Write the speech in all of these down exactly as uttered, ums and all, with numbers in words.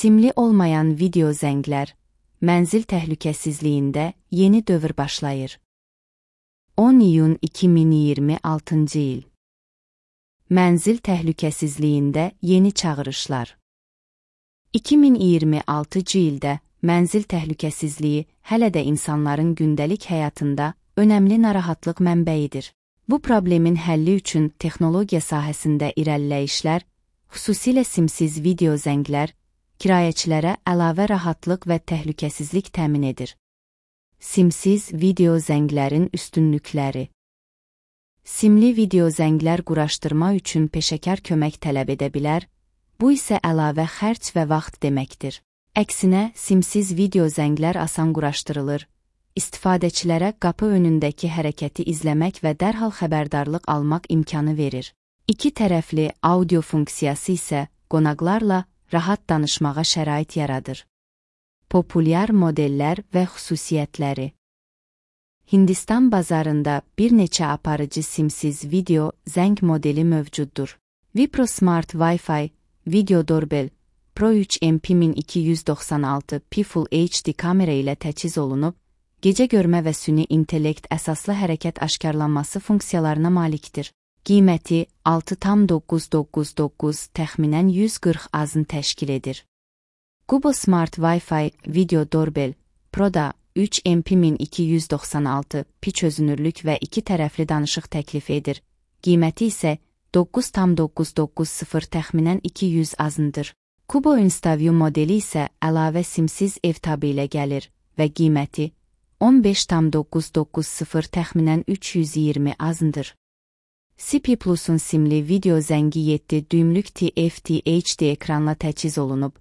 Simli olmayan video zənglər, mənzil təhlükəsizliyində yeni dövr başlayır. on iyun iki min iyirmi altıncı il. Mənzil təhlükəsizliyində yeni çağırışlar. iki min iyirmi altıncı ildə mənzil təhlükəsizliyi hələ də insanların gündəlik həyatında önəmli narahatlıq mənbəyidir. Bu problemin həlli üçün texnologiya sahəsində irəliləyişlər, xüsusilə simsiz video zənglər, kirayəçilərə əlavə rahatlıq və təhlükəsizlik təmin edir. Simsiz video zənglərin üstünlükləri. Simli video zənglər quraşdırma üçün peşəkar kömək tələb edə bilər, bu isə əlavə xərc və vaxt deməkdir. Əksinə, simsiz video zənglər asan quraşdırılır, istifadəçilərə qapı önündəki hərəkəti izləmək və dərhal xəbərdarlıq almaq imkanı verir. İki tərəfli audio funksiyası isə qonaqlarla rahat danışmağa şərait yaradır. Populyar modellər və xüsusiyyətləri. Hindistan bazarında bir neçə aparıcı simsiz video zəng modeli mövcuddur. Wipro Smart Wi-Fi Video Doorbell Pro üç M P min iki yüz doxsan altı P Full H D kamera ilə təchiz olunub, gecə görmə və süni intellekt əsaslı hərəkət aşkarlanması funksiyalarına malikdir. Qiyməti altı tam doqquz doqquz doqquz təxminən yüz qırx azın təşkil edir. Kubo Smart Wi-Fi Video Doorbell Pro-da üç M P min iki yüz doxsan altı P çözünürlük və iki tərəfli danışıq təklif edir. Qiyməti isə doqquz tam doqquz doqquz sıfır təxminən iki yüz azındır. Kubo InstaView modeli isə əlavə simsiz ev tabı ilə gəlir və qiyməti on beş tam doqquz doqquz sıfır təxminən üç yüz iyirmi azındır. C P Plus-un simli video zəngi yeddi düymlük T F T H D ekranla təchiz olunub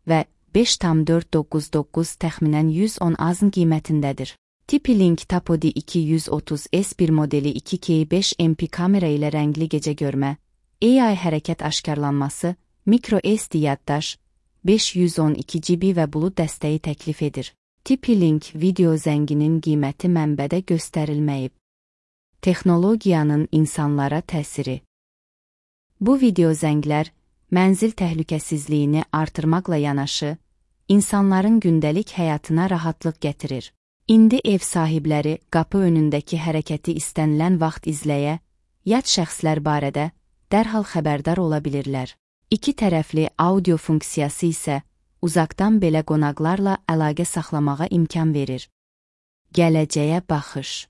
və beş tam dörd doqquz doqquz təxminən yüz on azın qiymətindədir. TP-Link Tapodi iki yüz otuz S bir modeli iki K beş M P kamera ilə rəngli gecə görmə, A I hərəkət aşkarlanması, mikro S D yaddaş, beş yüz on iki G B və bulud dəstəyi təklif edir. TP-Link video zənginin qiyməti mənbədə göstərilməyib. Texnologiyanın insanlara təsiri. Bu video zənglər mənzil təhlükəsizliyini artırmaqla yanaşı, insanların gündəlik həyatına rahatlıq gətirir. İndi ev sahibləri qapı önündəki hərəkəti istənilən vaxt izləyə, yad şəxslər barədə dərhal xəbərdar ola bilirlər. İki tərəfli audio funksiyası isə uzaqdan belə qonaqlarla əlaqə saxlamağa imkan verir. Gələcəyə baxış.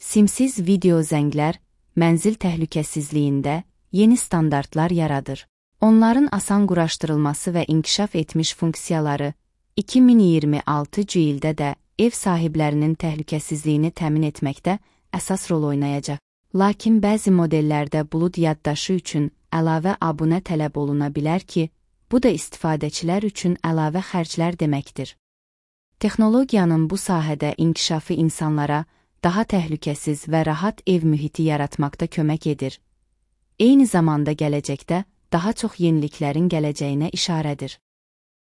Simsiz video zənglər mənzil təhlükəsizliyində yeni standartlar yaradır. Onların asan quraşdırılması və inkişaf etmiş funksiyaları iki min iyirmi altıncı ildə də ev sahiblərinin təhlükəsizliyini təmin etməkdə əsas rol oynayacaq. Lakin bəzi modellərdə bulud yaddaşı üçün əlavə abunə tələb oluna bilər ki, bu da istifadəçilər üçün əlavə xərclər deməkdir. Texnologiyanın bu sahədə inkişafı insanlara daha təhlükəsiz və rahat ev mühiti yaratmaqda kömək edir. Eyni zamanda gələcəkdə daha çox yeniliklərin gələcəyinə işarədir.